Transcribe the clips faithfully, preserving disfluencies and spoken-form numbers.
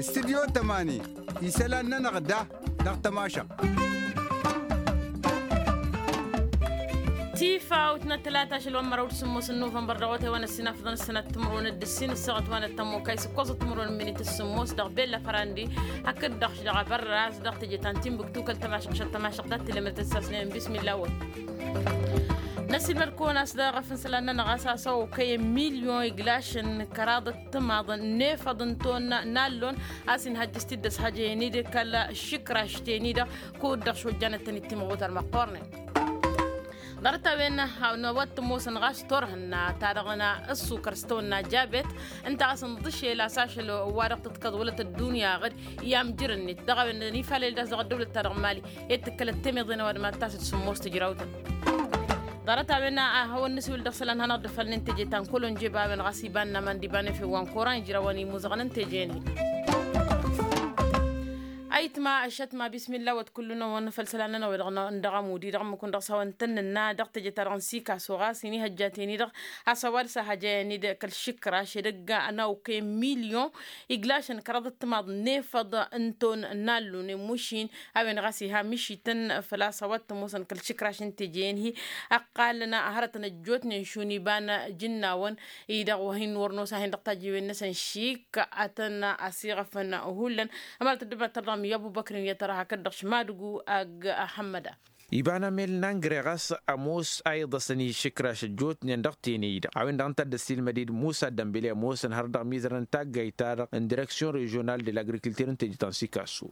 Istudyo tămani isălan-nănăɣ da dăɣ-tămašăɣt. Tifawt n-ătlata ašăl wa n-măraw d-sǝmmos n-nuvănbăr dăɣ-otay wa n-ăssinafăḍăn ăssănat timǝrwen d-ǝssin ǝssaɣăt wa n-ăttămokay s-ǝkkoẓăt timǝrwen n-minit s-sǝmmos dăɣ-bella fărandi hakd-dăɣ dăɣ-abărraz dăɣ-teje ta n-timbuktu kăl-tămašăɣ šăt tămašăɣ dat-tilemăt d-sasnen bismilla wăt. Năsilmăd-kăwăn a-s dăɣ-efăn isălan-nănăɣ a-s a-s okăyăn milyon iglašăn kăraḍăt timaḍăn n-efăḍ n-ton n-allon a-s inhăjjăs-t-dd ăshăjăyăn-i-dăɣ kăl-išǝkraš-ten-i-dăɣ kud-dăɣ šojjanăt-tăn-dd timɣutăr măqqoornen. Ḍarăt-a-wen n-a-wa t-ămoosăn ɣas turhǝnna ta dăɣ-n ăssukăr s-tawănna jabet ǝnta a-s ǝnḍǝšel a-s ašăl wa-dăɣ tǝḍkăḍ wălăt ăddunya ɣǝd i-amjăr-net dăɣ-a-wen n-ifalăl d-a-s dăɣ-ăddăwlăt-ta-dăɣ n-mali. I-dd tǝkkălăt temeḍe n-ăwadǝm ad-tasǝd sǝmmos tǝjrawtăn. Ḍarăt-a-wen a hawăn-nǝsiwǝl dăɣ-isălan hanăɣ-dd-ăfalnen teje ta n-kălonje ba-wen ɣas iba n-aman d-iba n-efew wa n-koran ijrawăn imuzăɣăn n-teje-net. Ayǝtma ăššătma bismilla wăt kull-năwăn făll-isălan-nănăɣ-wi-dăɣ n-dăɣ-amudi dăɣ-ǝmmǝk-wǝn dăɣ-s hawăn-tăn-nǝnna dăɣ-teje ta dăɣ-n sikaso ɣas inihăjjaten-i-dăɣ. Has-ăwadǝs a hăjăyăn-dd kăl-išǝkraš edăgg n-a okăyăn milyon iglašăn kăraḍăt timaḍ n-efăḍ n-ton n-allunen mušin a-wen ɣas iha mišităn făl-a-s a-wa t-ămoosăn kăl-išǝkraš n-teje-en-hi. Ăqqalăn hărătăn ăjjootnen šun iba n-jǝnnawăn-i-dăɣ wa hin-wăr nosa hin-dăɣ tajǝwen-năsăn šik. Atăn asiɣăfăn hullan ămărăt ăddăbăt tărdăɣ mi-abubăkrin i-ad-tărha hakd-dăɣ šmadǝgu ag-hămmăda. Iba n-amel n-angre ɣas ămoos a iḍăsăn išǝkraš ăjjootnen dăɣ-tene-i-dăɣ a-wen-dăɣ ǝnta a dd-ăssiilmăd-dd musa dămbile ămoosăn hărăt dăɣ-mizărăn n-taggayt-ta-dăɣ n-direksyon režional de l-agrikilter n-teje ta n-sikaso.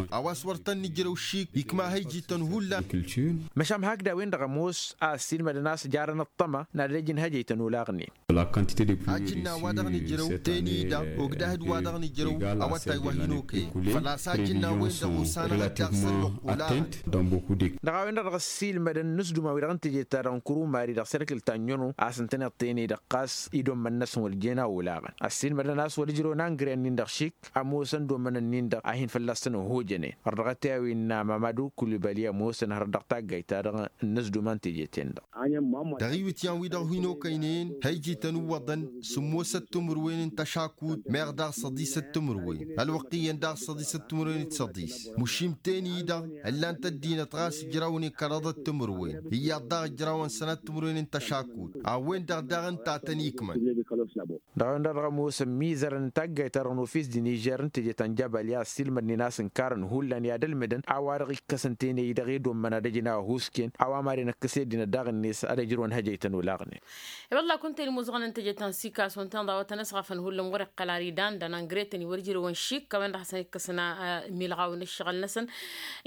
A-wa s-wăr tăn-nǝjrăw šik ikma hăyjităn hullan. Măšan hakd a-wen-dăɣ ămoos a ăssiilmădăn a-s jarăn ăṭṭăma n-ad-ăj n-hăjăytăn olaɣnen. Ajǝnna wa dăɣ-nǝjrăw teni-dăɣ ogdăh d-wa dăɣ-nǝjrăw awătay wa hin-okăyăn făl-a-s ajǝnna-wen-dăɣ osanăɣ-dd dăɣ-săn măqqul-aɣăn. Dăɣ-a-wen-dăɣ dăɣ-ăssiilmădăn n-asduma-wi-dăɣ n-teje-ta-dăɣ n-kurumari dăɣ-serkǝl ta n-iono a-s ǝntăneḍ tene-dăɣ ɣas idommăn-năsăn wăr jen a olaɣăn ăssiilmădăn a-s wăr ǝjrăwăn angre-nin-dăɣ šik. Ămoosăn dommăn-nin-dăɣ a hin-fălla-săn ăhojănen ărdăɣăt i-a-wen n-amamadu kulibali ămoosăn hărăt dăɣ-taggayt-ta-dăɣ n-inǝzdumăn teje-ten-dăɣ. Dăɣ-iwǝtyan-wi-dăɣ hin-okăynen hăyjităn ǝwwăḍăn sǝmmosăt timǝrwen n-tăšakut meɣ daɣ săḍisăt timǝrwen ălwăqq iyyăn daɣ săḍisăt timǝrwen d-săḍis. Măšim teni-dăɣ ǝllan-t ăddinăt ɣas ǝjrawnen kăraḍăt timǝrwen iyyăḍ daɣ ǝjrawăn sănăt timǝrwen n-tăšakut. A-wen-dăɣ daɣ ǝnta a tăn-ikmăn. Dăɣ-a-wen-dăɣ dăɣ-ămoosăn mizărăn n-taggayt-ta-dăɣ n-ofis d-inižer n-teje ta n-jabal i-ad-ăssiilmădnen a-s ǝnkarăn hullan i-ad-ălmǝdăn a-wa-dăɣ ikkăsăn tene-i-dăɣ i-dd-ommăn ad-ăj n-ahusken a-wa madăn ǝkkăs i-ăddinăt daɣ-net ad-ăjrăwăn hăjăytăn olaɣnen. I-wălla kunta-en imuzăɣăn n-teje ta n-sikaso ǝntăneḍ a-wa tăn-ăsɣăfăn hullan wăr-iqqăl ar idan d-anăngretăn i-wăr ǝjrăwăn šik a-wen-dăɣ hasăn-ikkăsăn milɣaw n-ǝššăɣǝl-năsăn.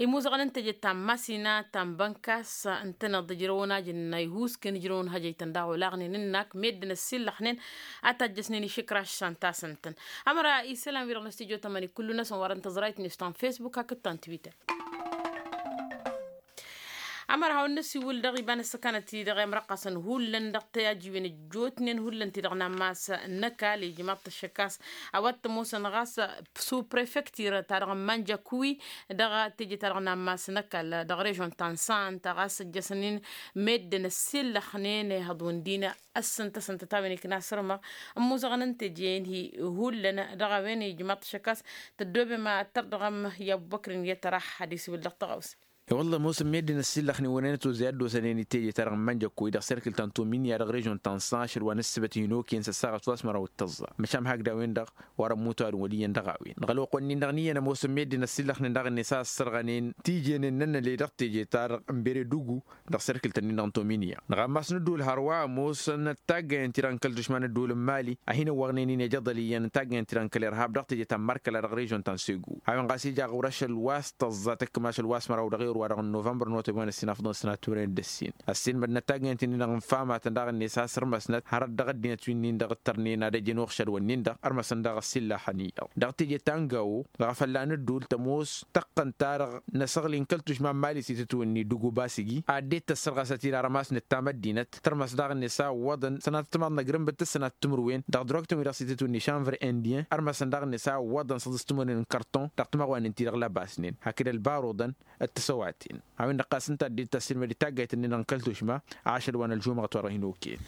Imuzăɣăn n-teje ta n-masina ta n-bănkas ǝntăneḍ ǝjrăwăn ajǝnna ihusken ǝjrăwăn hăjăytăn daɣ olaɣnen ǝnnak meddǝn ăssillăxnen a tajjăsnen išǝkraš s-ănta-s ǝntăn. Ămăra isălan-wi-dăɣ n-astijyo tămăni kullu-năsăn wărăn tăẓrayt-net ta n-fesbuk hakd ta n-twitter. Ămăra hawăn-năsiwǝl dăɣ-iba n-ăssăkanăt-i-dăɣ i-ămrăqqasăn hullan dăɣ-tăyajiwen ăjjootnen hullan-ti-dăɣ n-ammas n-ăkall ijmaḍ-t ăššăk a-s a-wa t-ămoosăn ɣas su prefektir-ta-dăɣ n-mănjăkwi dăɣ-teje-ta-dăɣ n-ammas n-ăkall dăɣ-režon ta n-santa ɣas ăjjăsăn-in meddǝn ăssillăxnen ihăḍ wǝndin ăssǝntăsăn tăt-a-wen ikna sărmăɣ ămmuzăɣăn n-teje-en-hi hullan dăɣ-a-wen ijmaḍ-t ăššăk a-s tăddoobem ad-tărdăɣăm i-abubăkrin i-ad-tărax ad-isiwǝl dăɣ-tăɣawse. I-wălla ămoosăn meddǝn ăssillăxnen wăren ătwăzăy ad-dd-osănen i-teje-ta-dăɣ n-mănjăkkoy dăɣ-serkǝl ta n-tominya dăɣ-režon ta n-san ašăl wa n-ǝssǝbăt hin-okăyăn s-ăssaɣăt wa s-măraw d-tăẓẓa măšan hakd a-wen-dăɣ wăr-ămmut a-wen wăl' iyyăn dăɣ-a-wen dăɣ-ălwăqq-wen-nin-dăɣ n-iyyăn ămoosăn meddǝn ăssillăxnen dăɣ-net a ăssărɣănen tijenen n-ănnăle dăɣ-teje-ta-dăɣ n-beredugu dăɣ-serkǝl-tăn-in-dăɣ n-tominya dăɣ-ammas n-ădduul hărwa ămoosăn taggăyăn-ti-dăɣ n-kăl-tušma n-ădduul n-mali a hin-ăwwăɣnen-in ejăḍăl iyyăn taggăyăn-ti-dăɣ n-kăl-irhab dăɣ-teje ta n-markăla dăɣ-režon ta n-segu a-wen ɣas ija ɣur-ašăl wa s-tăẓẓa tăkkăm ašăl wa s-măraw dăɣ-erwa-dăɣ n-novămbăr n-otăb wa n-ăssinafăḍăn sănatămren d-ăssin ăssiilmădnăt taggăyăn-ti-dăɣ n-famătăn daɣ-net a sărmăsnăt hărăt dăɣ-ăddinăt wi-nin-dăɣ ǝttărnen ad-ăjăn uɣšăd-wǝnnin-dăɣ ărmăsăn daɣ ăssillăxăn-i-dăɣ dăɣ-teje ta n-gawo dăɣ-afălla n-ădduul tămoos tăqqăn-ta-dăɣ n-asăɣli n-kăl-tušma n-mali s-itǝtwǝnni d-uguba s-iji ad-dd-tăssărɣăsăt-dd armas n-ǝttam ăddinăt tărmăs daɣ-net a ǝwwăḍăn sănatăt timaḍ n-agrǝmbǝt d-sănatăt timǝrwen dăɣ-drogtăn-wi-dăɣ s-itǝtwǝnni šanvăr indien ărmăsăn daɣ-net a ǝwwăḍăn săḍǝstǝmǝrwen n-kărton dăɣ-timăɣwanen-ti-dăɣ lăbasnen hakd ălbaruḍăn d-tisăwaten a-wen-dăɣ ɣas ǝnta a dd-tăssǝlmăd i-taggayt-ǝnnin-dăɣ n-kăl-tušma ašăl wa n-ălžumăɣăt wa dăɣ-hin-okăyăn.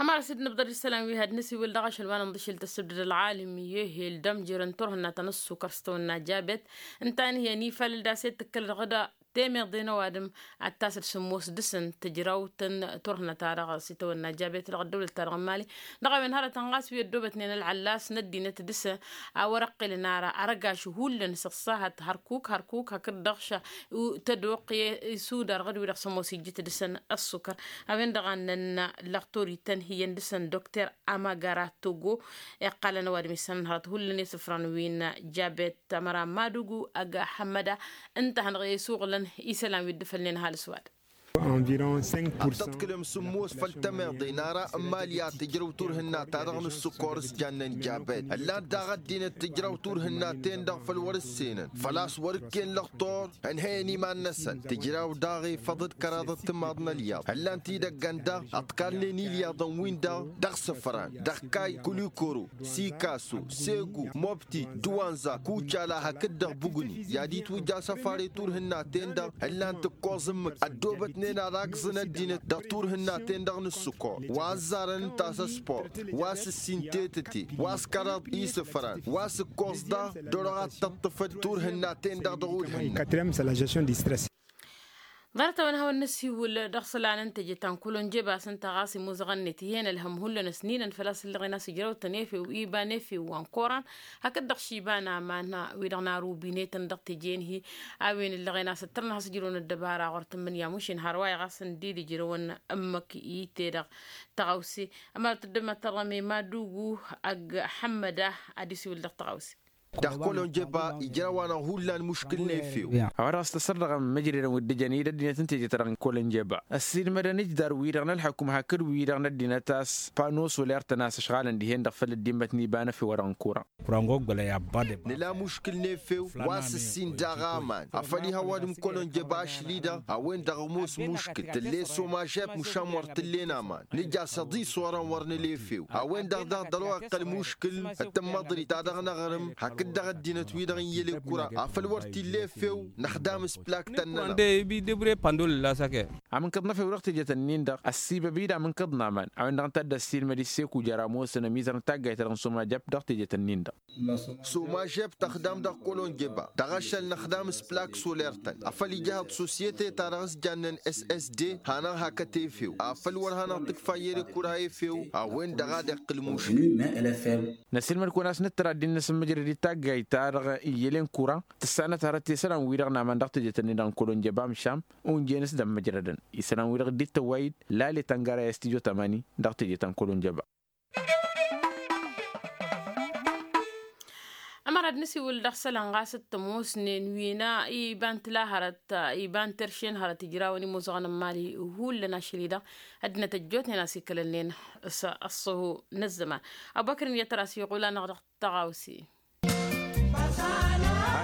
Ămăra s-dd-nǝbḍăr isălan wi had-nǝsiwǝl dăɣ-ašăl wa n-inḍǝšǝl tăssǝbdăd ălɣalim i-ehel d-ămjărăn turhǝnna ta n-ǝssukăr s-tawănna jabet. Ǝnta a ǝnhǝyăn ifalăl d-aset tǝkkălăd ɣǝda temeḍe n-ăwadǝm ad-tasăd sǝmmos dăɣ-săn tǝjrawt n-turhǝnna-ta-dăɣ s-itawănna jabet dăɣ-ăddăwlăt-ta-dăɣ n-imali. Dăɣ-a-wen hărătăn ɣas wi ăddoobătnen ălɣăllas n-ăddinăt dăɣ-săn a wăr-ăqqilăn ara arăgaš hullan s-ăṣṣahăt hărkuk hărkuk hakd-dăɣ ša tăduqq i-sudar ɣǝd-wi-dăɣ sămoos ijjǝt dăɣ-săn ăṣṣukăr. A-wen-dăɣ a ǝnnăn lăxtur itănhǝyăn dăɣ-săn dokter amagara togo iqqalăn ăwadǝm isănăn hărăt hullan i-isǝfran wi n-jabet ămăra madugu ăgg hămmăda. Ǝnta a hanăɣ-e-isuɣǝlăn isălan wi dd-ǝfălnen ăhalǝs-wa-dăɣ. Ad-tăḍkǝlăm sǝmmos făll-temeḍe n-ara n-imali ad-tǝjrăw turhǝnna-ta-dăɣ n-ǝssǝkor s-jannen jabet ǝllan daɣ ăddinăt tǝjrăw turhǝnna-ten-dăɣ făll-wăr-ǝssenăn făl-a-s wăr-ǝkken lăxtur ǝnhăyăn iman-năsăn tǝjraw daɣ ifăḍ d-kăraḍăt timaḍ n-ălyaḍ ǝllan-t-dd ăgg-ănn daɣ ăḍkalnen ilyaḍăn-win-dăɣ dăɣ-sǝfran dăɣ-kay kulikoro sikaso segu mobti duwanza kucala hakd-dăɣ bugni i-ad-itwǝjja asăfar i-turhǝnna-ten-dăɣ ǝllan-t ǝkkoẓ ǝmmǝk ăddoobătnen ad-agẓǝn ăddinăt dăɣ-turhǝnna-ten-dăɣ n-ǝssǝkor wa ăzzarăn ǝnta a-s ăsport wa s-ǝssin tetăte wa s-kăraḍ isǝfran wa s-ǝkkoẓ daɣ d-orăɣ ad-tăṭṭăfăd turhǝnna-ten-dăɣ dăɣ-ulhǝnna. Ḍarăt-a-wen hawăn-năsiwǝl dăɣ-isălan n-teje ta n-kălonjeba s-ǝnta ɣas imuzăɣăn-net ih'-en ălhăm hullan ăsninăn făl-a-s ǝllăɣen a-s ǝjrăw-tăn efew iba n-efew wa n-koran hakd-dăɣ šiba n-aman wi-dăɣ n-arubinet-tăn dăɣ-teje-en-hi. A-wen ǝllăɣen a-s ǝttărăn has-ǝjrăwăn ăddăbara ɣur-tǝmmǝnǝya mušin har wa iɣas ǝndi d-ǝjrăwăn ǝmmǝk i-te-dăɣ tăɣawse. Ămărăt dd-ămmăttărăme madugu ăgg hămmăda ad-isiwǝl dăɣ-tăɣawse. Dăɣ-kălonjeba ijrăw-anăɣ hullan muškǝl n-efew. A-wa dăɣ-s tăssărdăɣăm imǝjrerăn wi dd-ǝjăn i-dd ăddinăt n-teje-ta-dăɣ n-kălonjeba ăssiilmădăn ǝjdar-wi-dăɣ n-ălḥăkum hakd wi-dăɣ n-ăddinăt a-s pano soler-tăn a-s ǝšɣalăn dihen-dăɣ făll-ăddimmăt n-iba n-efew wa dăɣ-n kuran. Nǝla muškǝl n-efew wa s-ǝssin daɣ aman afăl ih' ăwadǝm kălonjeba ašli-dăɣ a-wen-dăɣ ămoos muškǝl tǝll'-e somažep măšan wăr t-ǝllen aman nǝja s-ăḍis orăn wăr nǝla efew a-wen-dăɣ daɣ dăr-o-iqqăl muškǝl d-tǝmmăḍrit ta dăɣ-năɣrǝm hakd dăɣ-ăddinăt-wi-dăɣ n-iyyăl i-kura afăl wăr t-illa efew năxdam s-plak-tăn-nănăɣ. Amǝnkăḍ n-efew dăɣ-teje-tăn-in-dăɣ ăssibăb-dd amǝnkăḍ n-aman a-wen-dăɣ ǝnta a dd-ăssiilmăd isseku jer-ămoosăn ămizăr n-taggayt-ta-dăɣ n-sumajăb dăɣ-teje-tăn-in-dăɣ. Sumajeb tăxdam dăɣ-kălonjeba dăɣ-ašăl năxdam s-plak soler-tăn afăl ija ehăḍ sosyete-ta-dăɣ s-jannen ssd hanăɣ-hakăt efew afăl wăr hanăɣ-tǝkfa iyyăr i-kura efew a-wen-dăɣ ad-iqqǝl muškǝl. Năsilmăd-kăwăn a-s nǝttăr ad-dd-innăs ǝmmǝjrăd i-taggayt-ta-dăɣ iyyălen kura tǝssanăt hărăt i-isălan-wi-dăɣ n-aman dăɣ-teje-tăn-in-dăɣ n-kălonjeba amšam. Unjăn-s d-ămmǝjrădăn isălan-wi-dăɣ dd-tăwway-dd lale tăngara i-astidyo tămani dăɣ-teje ta n-kălonjeba. Ămăra d-nǝsiwǝl dăɣ-isălan ɣas d-tămoosnen wi n-iba n-tǝla hărăt iba n-terše n-hărăt ijrawăn imuzăɣăn n-imali hullan ašăl-i-dăɣ ăddinăt ăjjootnen a-s ikălălnen s-ăṣṣăhu n-ăzzăman. Ăbubăkr n-iyyăt tăra s-iɣul-anăɣ dăɣ-tăɣawse.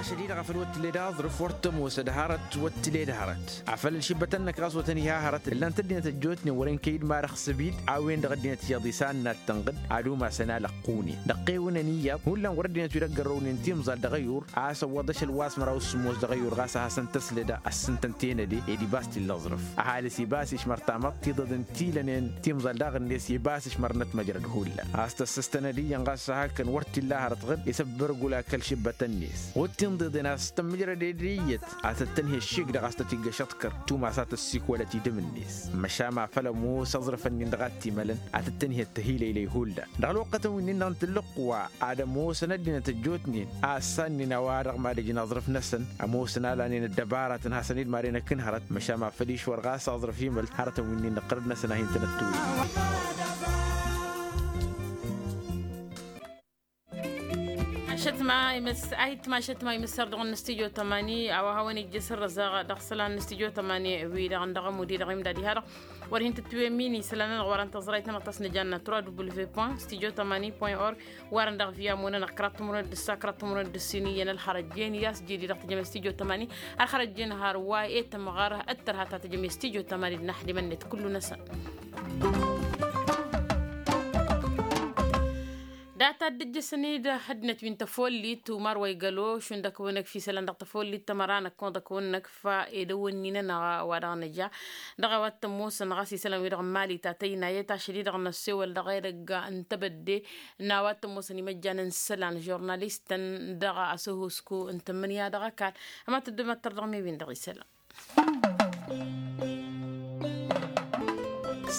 Ašăl-i-dăɣ afăl wăr t-tǝled aẓrǝf wăr t-ămoosăd hărăt wăr t-tǝled hărăt afăl ǝlšǝbbătăn-năk ɣas wăr tăn-iha hărăt ǝllan-t ăddinăt ăjjootnen wăren kăy-dd ma dăɣ-săbid a-wen-dăɣ ăddinăt iyyăḍ isannat tănɣǝd ad-umasăn alăqqune dăɣ-qewǝnăn iyyăḍ hullan wăr ăddinăt wi dăɣ-gărrăwnen timẓal dăɣ-ăyur a-s ăwwăḍ ašăl wa s-măraw s-sǝmmos dăɣ-ăyur ɣas a hasăn-tăslăd ăssintăn tenăde ed ibas t-illa aẓrǝf ăhalǝs ibas išmăr tamăḍt tiḍăḍ ǝnta ilănen timẓal daɣ-net ibas išmărnăt măjrăd hullan a-s tăssăstănăd iyyăn ɣas a hakăn wăr t-illa hărăt ɣǝd isăbbărgul akăl šǝbbătăn-net ɣud tinḍeḍen a-s tămmǝjrăd ed iyyăt a tăt-tănhe ăššik-dăɣ a-s tăt-iggăš aḍkăr tumas a tăssikwălăt idǝm-net măšan ma făl ămoos aẓrǝfăn-in-dăɣ a t-imălăn a tăt-tănhe ăttăhilăylăy hullan dăɣ-ălwăqqătăn wi n-innăɣ n-tǝllǝqwa ad-ămoosăn ăddinăt ăjjootnen a ăssannen a-wa-dăɣ mad-ǝjǝn aẓrǝf-năsăn ămoosăn a lanen ăddăbaratăn hasăn-dd maren akǝnhărăt măšan ma făl išwăr ɣas aẓrǝf imăl hărătăn wi n-innăɣ ɣărăd-năsăn a hin-tăn-ăttuwǝy. Ašăt ma imǝs a hittǝm ašăt ma imǝssăr dăɣ-năstijyo tămani a-wa hawăn-ijjǝs ărrăzăɣ dăɣ-isălan n-năstijyo tămani wi-dăɣ n-dăɣ ămud-i-dăɣ imdad iha-dăɣ wăr hin-tǝttǝwemmin isălan-nănăɣ wărăn tăẓrayt-nănăɣ ta s-nǝjanna trois w point studio tămani point org. Wărăn dăɣ-via munănăɣ kăraḍ timǝrwen d-ǝssa kăraḍ timǝrwen d-ǝssin iyyăn ălxărăjjen i-a-s jedi dăɣ-tejăme studio tămani ărxărăjjen har wa e-tămɣăr ǝttărha ta tejăme studio tămani d-inaxdimăn-net kullu-năsăn. Ad-taddǝjjăsăn-dd ăddinăt wi n-tăfollit umar wa igălo šund ăkk-wăn-ăkf isălan dăɣ-tăfollit tămăra năkk-wăn-ăkf ed ăwwănni-nănăɣ wa dăɣ-nǝja dăɣ-a-wa t-ămoosăn ɣas isălan-wi-dăɣ n-mali ta tăyna i-tašăl-i-dăɣ n-ăssewăl dăɣ-edăgg n-tebădde n-a-wa t-ămoosăn imăjjan n-isălan žurnalistăn dăɣ-asăhusku n-tǝmmǝnǝya dăɣ-ăkall. Ămatăddămăttăr dăɣ-mi-win-dăɣ isălan.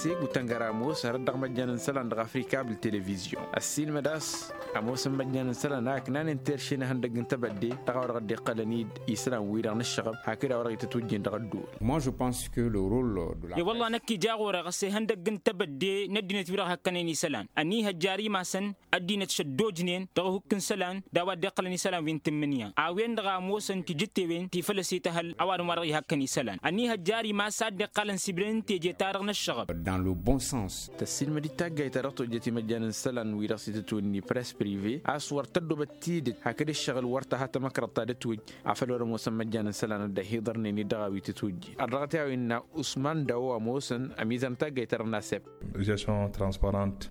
Segu tăngăra ămoos hărăt dăɣ-măjjan n-isălan dăɣ-afrikabǝl televizyon ăssiilmăd a-s ămoosăn măjjan n-isălan a ǝknanen terše n-ehăndăgg n-tebădde dăɣ-a-wa dăɣ-dd-iqqălăn-dd isălan-wi-dăɣ n-ăššăɣăb hakd a-wa dăɣ-itǝtwǝjjen dăɣ-ăddul. Moi je pense que le role de la wălla năkk ija ɣur-e ɣas ehăndăgg n-tebădde n-ăddinăt-wi-dăɣ hakkănen isălan ăniihăjjar imasăn ăddinăt šăddojnen dăɣ-ehukk n-isălan d-a-wa dd-iqqălăn isălan wi n-tǝmmǝnǝya a-wen-dăɣ a ămoosăn tijǝttewen ti făl ăsităhăl ăwadǝm wa dăɣ-ihakkăn isălan ăniihăjjar imas a dd-iqqălăn sibnen n-teje-ta-dăɣ n-ăššăɣăb. Dans le bon sens. Tăssiilmăd-dd taggayt ta dăɣ-tojjăt imăjjan n-isălan wi-dăɣ s-itǝtwǝnni press prive a-s wăr tăddobăt tidǝt hakd ǝššăɣǝl wăr tăha tamăkrăḍt ta dd-tiwǝjj afăl wăr-ămoosăn măjjan n-isălan ad-dd-ăhiḍărnen-dd dăɣ-a-wi tǝtwǝjjen ărdăɣăt i-a-wen n-a usman dawo ămoosăn ămizăr n-taggayt-ta-dăɣ n-asep. Gestion transparente.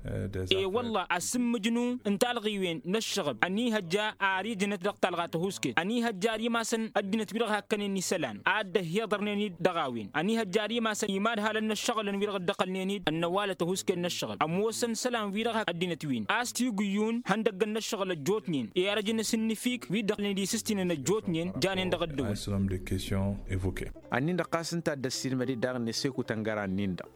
E-wălla asǝmmǝjnu n-talɣiwen n-ăššăɣăb ăniihăjja ar ijnăt dăɣ-talɣa tăhusket ăniihăjja ar imasăn ăddinăt wi-dăɣ hakkănen isălan ad-dd-ăhhiḍărnen-dd dăɣ-a-wen ăniihăjja ar imasăn imadhalăn n-ăššăɣǝlăn wi-dăɣ dd-ăqqălnen-dd ănnăwalăt ăhusket n-ăššăɣăb ămoosăn isălan-wi-dăɣ ăddinăt-win a-s t-igǝyyun ihăndăggăn n-ăššăɣǝl ăjjootnen i-arăj n-asǝnnǝfik wi dd-ăqqălnen d-isǝstinen ăjjootnen janen dăɣ-ăddăwăl. Ănnin-dăɣ ɣas ǝnta a dd-ăssiilmăd-dd daɣ-net seku tăngăra ǝnnin-dăɣ.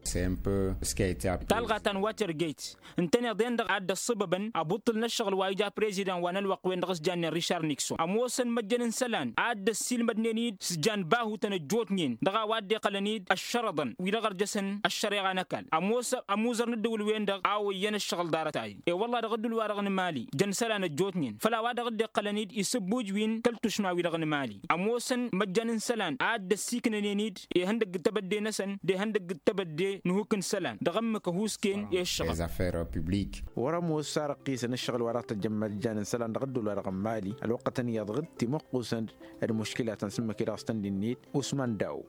Talɣa ta n-watergate ǝntăneḍ-en-dăɣ a dd-ăṣṣăbăbăn abuṭṭǝl n-ăššăɣǝl wa ija prezidan wa n-ălwăqq-wen-dăɣ s-jannen richard nikson ămoosăn măjjăn n-isălan a dd-ăssiilmădnen-dd s-jan bahutăn ăjjootnen dăɣ-a-wa dd-iqqălăn-dd ăššărăḍăn wi-dăɣ ărjăsăn ăššăreɣa n-ăkall ămoos amuzăr n-ǝddǝwǝl-wen-dăɣ a oyyăn ăššăɣǝl ḍarăt-ahi. E-wălla dăɣ-ǝddǝwǝl-wa-dăɣ n-mali jăn isălan ăjjootnen făll-a-wa dăɣ-dd-iqqălăn-dd isǝbbuj wi n-kăl-tušma wi-dăɣ n-mali ămoosăn măjjăn n-isălan a dd-ăssiiknănen-dd ihăndăgg n-tebădde-năsăn d-ihăndăgg n-tebădde n-ehukk n-isălan dăɣ-ǝmmǝk ăhuusken i-ǝššăɣăb. Wăr-ămoos a răqqisăn ǝššăɣǝl wa dăɣ-tăjjăn măjjan n-isălan dăɣ-ăddol wa dăɣ-n mali ălwăqqătăn iyyăḍ ɣǝd timǝqqusăn d-muškilatăn s-ǝmmǝk-i-dăɣ s-tăn-dd-innit usman daw.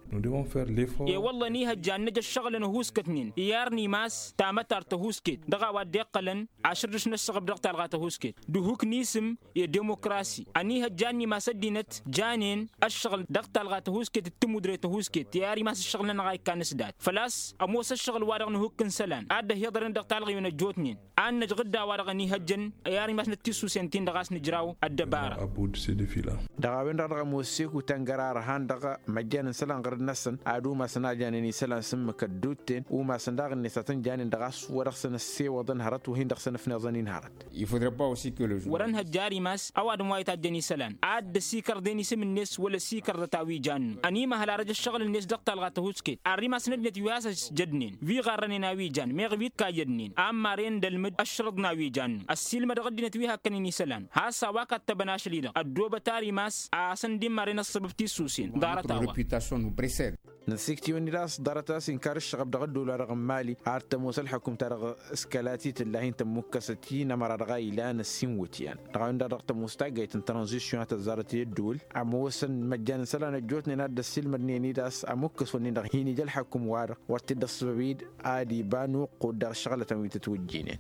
E-wălla ăniihăjja ad-năj ăššăɣǝlăn ăhuuskătnen i-ar n-imas tamătart tăhuusket dăɣ-a-wa dd-iqqălăn ašărdǝš n-ăššăɣăb dăɣ-talɣa tăhuusket d-ehuk n-isǝm i-demokrasi ăniihăjja ad-nimas ăddinăt janen ăššăɣǝl dăɣ-talɣa tăhuusket d-tǝmmudre tăhuusket i-ar imas ǝššăɣǝl-nănăɣ a ikkan s-dat făl-a-s ămoos ăššăɣǝl-wa-dăɣ n-ehukk n-isălan a dd-ăhhiḍărăn dăɣ-talɣiwen ăjjootnen ad-năj ɣǝdda wa-dăɣ ăniihăjjăn i-ar imas n-ăttissusen-tin-dăɣ a-s nǝjraw ăddăbara. Dăɣ-a-wen-dăɣ dăɣ-ămoos seku tăngăra ărhan dăɣ-măjjan n-isălan ɣǝrǝd-năsăn ad-umasăn a janen isălan s-ǝmmǝk ădduutten umasăn daɣ-net a tăn-janen dăɣ-a-s wăr-dăɣ-săn ăssewăḍăn hărăt wa hin-dăɣ-săn ăfneẓăn-in hărăt. Wăr-ănhăjja ar imas ăwadǝm wa itajjăn isălan ad-dd-ăsikărden isǝm-net wăla ăsikărdăt a-wi jannu ănimăhăl arăj ăššăɣǝl-net dăɣ-talɣa tăhusket arr'-imasăn ăddinăt wi has-ăj jădnen wi ɣarrănen a-wi jan meɣ wi t-kayyădnen ammaren d-ălmǝd ăššărǝḍ n-a-wi jannu ăssiilmădăɣ ăddinăt wi hakkănen isălan has-a-wa kattăbăn ašăl-i-dăɣ ăddoobăt ar imas a-s ăndimmaren ăṣṣăbăb tissusen ḍarăt-a-wa. Năsiktǝwăn-dd a-s ḍarăt a-s inkar ǝššăɣăb dăɣ-ăddool-wa-dăɣ n-mali ar tămoos ălḥăkum-ta-dăɣ s-kăla titǝlla hin-tămmukkăsăt i-inămăra dăɣ-a ilan ăssiinwǝtyan dăɣ-a-wen-dăɣ dăɣ-tămoos taggayt n-tranzisyon a tăzzarăt i-ăddool ămoosăn măjjan n-isălan ăjjootnen a dd-ăssiilmădnen-dd a-s ămukkăs-wǝnnin-dăɣ hin-ija ălḥăkum-wa-dăɣ wăr t-dd-ăṣṣăbăb-dd ad-iba n-uqqud dăɣ-ǝššăɣlătăn wi tǝtwǝjjinen.